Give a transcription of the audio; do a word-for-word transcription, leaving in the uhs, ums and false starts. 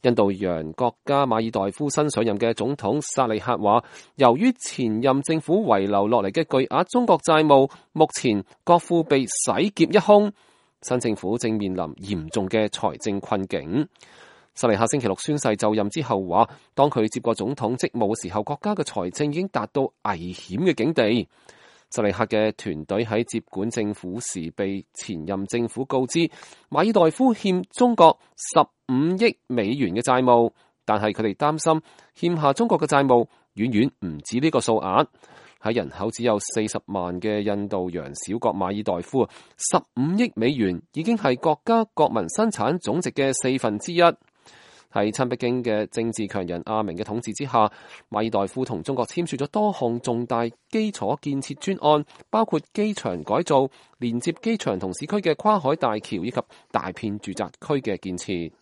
印度洋國家馬爾代夫新上任嘅總統薩利赫話，由於前任政府遺留落嚟嘅巨額中國債務，目前國庫被洗劫一空，新政府正面臨嚴重嘅財政困境。薩利赫星期六宣誓就任之後話，當佢接過總統職務嘅時候，國家嘅財政已經達到危險嘅境地。薩利赫嘅團隊喺接管政府時被前任政府告知，馬爾代夫欠中國十五億美元嘅債務，但係佢哋擔心欠下中國嘅債務遠遠唔止呢個數額。喺人口只有四十萬嘅印度洋小國馬爾代夫，十五億美元已經係國家國民生產總值嘅四分之一。喺親北京嘅政治強人阿明嘅統治之下，馬爾代夫同中國簽署咗多項重大基礎建設專案，包括機場改造、連接機場同市區嘅跨海大橋以及大片住宅區嘅建設。